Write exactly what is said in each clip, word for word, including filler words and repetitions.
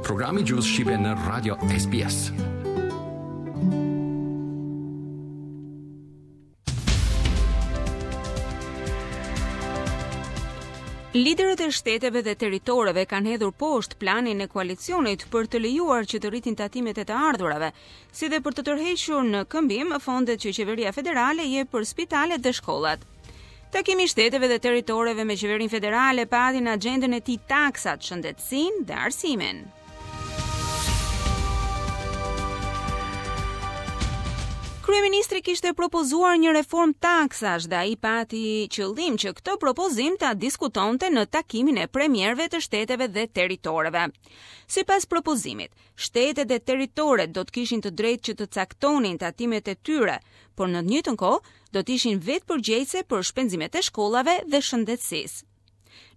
Programi i Gjuhës Shqipe në Radio S B S. Liderët e shteteve dhe territoreve kanë hedhur poshtë planin e koalicionit për të lejuar që të rritin tatimet e të ardhurave, si dhe për të tërhequr në këmbim fondet që qeveria federale jep për spitalet dhe shkollat. Takimi i shteteve dhe territoreve me qeverinë federale pati në agjendën e tij taksat, shëndetësinë dhe arsimin. Kryeministri kishte propozuar një reformë taksash dhe ai pati qëllim që këtë propozim ta diskutonte në takimin e premierëve të shteteve dhe territoreve. Sipas propozimit, shtetet dhe territoret do të kishin të drejtë që të caktonin tatimet e tyre, por në të njëjtën kohë do të ishin vetë përgjegjëse për shpenzimet e shkollave dhe shëndetësisë.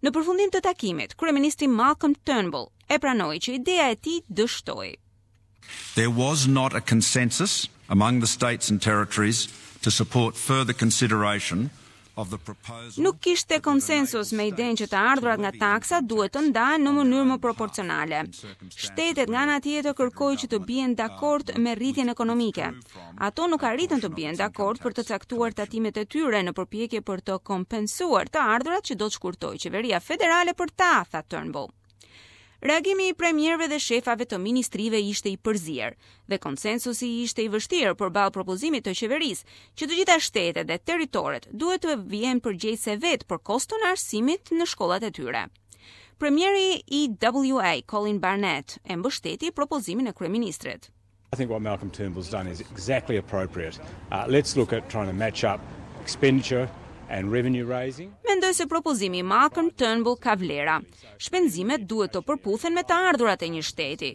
Në përfundim të takimit, kryeministri Malcolm Turnbull e pranoi që ideja e tij dështoi. There was not a consensus among the states and territories to support further consideration of the proposal. Nuk kishte konsensus me idenë që të ardhurat nga taksat duhet të ndahen në mënyrë më proporcionale. Shtetet nga ana tjetër kërkoi që të bien dakord me rritjen ekonomike. Ato nuk arritën të bien dakord për të caktuar tatimet e tyre në përpjekje për të kompensuar të ardhurat që do të shkurtojë qeveria federale për ta, tha Turnbull. Reagimi i premierëve dhe shefave të ministrive ishte i përzier dhe konsensusi ishte i vështirë përballë propozimit të qeverisë që të gjitha shtetet dhe territoret duhet të vihen përgjegjëse vetë për koston e arsimit në shkollat e tyre. Premieri i W A, Colin Barnett, e mbështeti propozimin e kryeministrit. I think what Malcolm Turnbull's done is exactly appropriate. Uh, let's look at trying to match up expenditure and revenue raising. Mendoj se propozimi i Malcolm Turnbull ka vlera. Shpenzimet duhet të përputhen me të ardhurat e një shteti.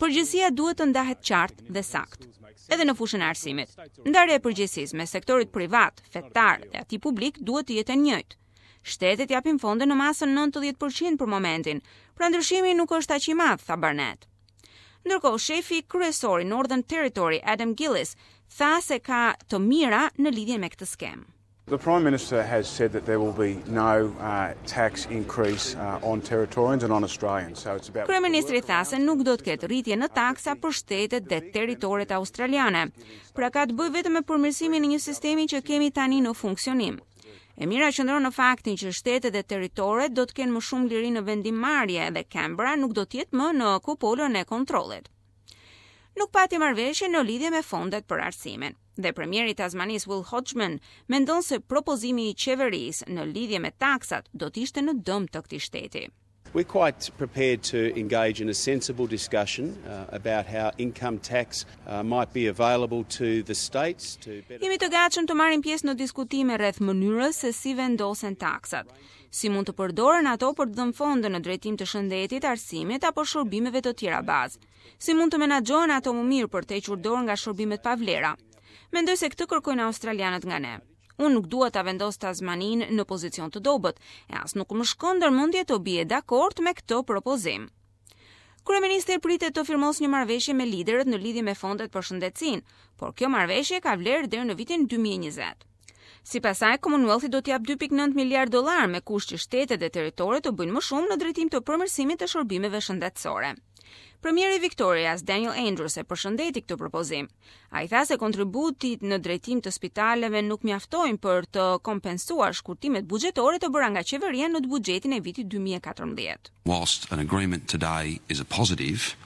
Përgjegjësia duhet të ndahet qartë dhe saktë. Edhe në fushën e arsimit. Ndarja e përgjegjësisë me sektorit privat, fetar dhe atij publik duhet të jetë e njëjtë. Shtetet japin fonde në masën nëntëdhjetë për qind për momentin, pra ndryshimi nuk është aq i madh, tha Barnett. Ndërkohë, shefi kryesor i Northern Territory, Adam Gillis, tha se ka të mira në lidhje me këtë skemë. The Prime Minister has said that there will be no uh, tax increase uh, on Territorians and on Australians. So it's about Kryeministri tha se nuk do të ketë rritje në taksa për shtetet dhe territoret australiane. Pra, ka të bëjë vetëm me përmirësimin e një sistemi që kemi tani në funksionim. E mira qëndron në faktin që shtetet dhe territoret do të kenë më shumë liri në vendimmarrje dhe Canberra nuk do të jetë më në kupolën e kontrollit. Nuk pati marrëveshje në lidhje me fondet për arsimin. Dhe premieri i Tasmanisë, Will Hodgman, mendon se propozimi i qeverisë në lidhje me taksat do të ishte në dëm të këtij shteti. We're quite prepared to engage in a sensible discussion uh, about how income tax uh, might be available to the states to better Jemi të gatshëm të marrim pjesë në diskutime rreth mënyrës se si vendosen taksat, si mund të përdoren ato për të dhënë fonde në drejtim të shëndetit, arsimit apo shërbimeve të tjera bazë, si mund të menaxhohen ato më mirë për të hequr dorë nga shërbimet pa vlera. Mendoj se këtë kërkojnë australianët nga ne. Unë nuk dua ta vendos Tasmanin në pozicion të dobët, e as nuk më shkon ndër mendje të bie dakord me këtë propozim. Kryeministri pritet të firmos një marrëveshje me liderët në lidhje me fondet për shëndetësinë, por kjo marrëveshje ka vlerë deri në vitin dy mijë e njëzet. Sipas saj, Commonwealthi do t'jap dy pikë nëntë miliard dollar me kusht që shtetet dhe territoret të bëjnë më shumë në drejtim të përmirësimit të shërbimeve shëndetësore. Premieri i Victorias, Daniel Andrews, e përshëndeti këtë propozim. Ai tha se kontributit në drejtim të spitaleve nuk mjaftojnë për të kompensuar shkurtimet buxhetore të bëra nga qeveria në buxhetin e vitit dy mijë e katërmbëdhjetë. Whilst an agreement today is a positive,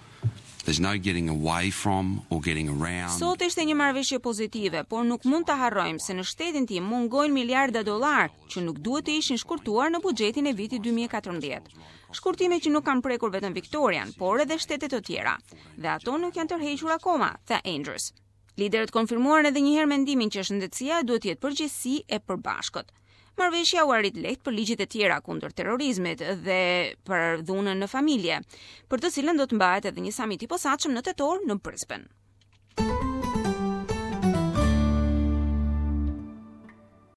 there's no getting away from or getting around. Sot ishte një marrëveshje pozitive, por nuk mund ta harrojmë se në shtetin tim mungojnë miliarda dollar që nuk duhet të ishin shkurtuar në buxhetin e vitit dy mijë e katërmbëdhjetë. Shkurtime që nuk kanë prekur vetëm Victorian, por edhe shtete të tjera, dhe ato nuk janë tërhequr akoma, tha Andrews. Liderët konfirmuan edhe një herë mendimin që shëndetësia duhet të jetë përgjegjësi e përbashkët. Marrëveshja u arrit lehtë për ligjet e tjera kundër terrorizmit dhe për dhunën në familje, për të cilën do të mbahet edhe një samit i posaçëm në tetor në Brisbane.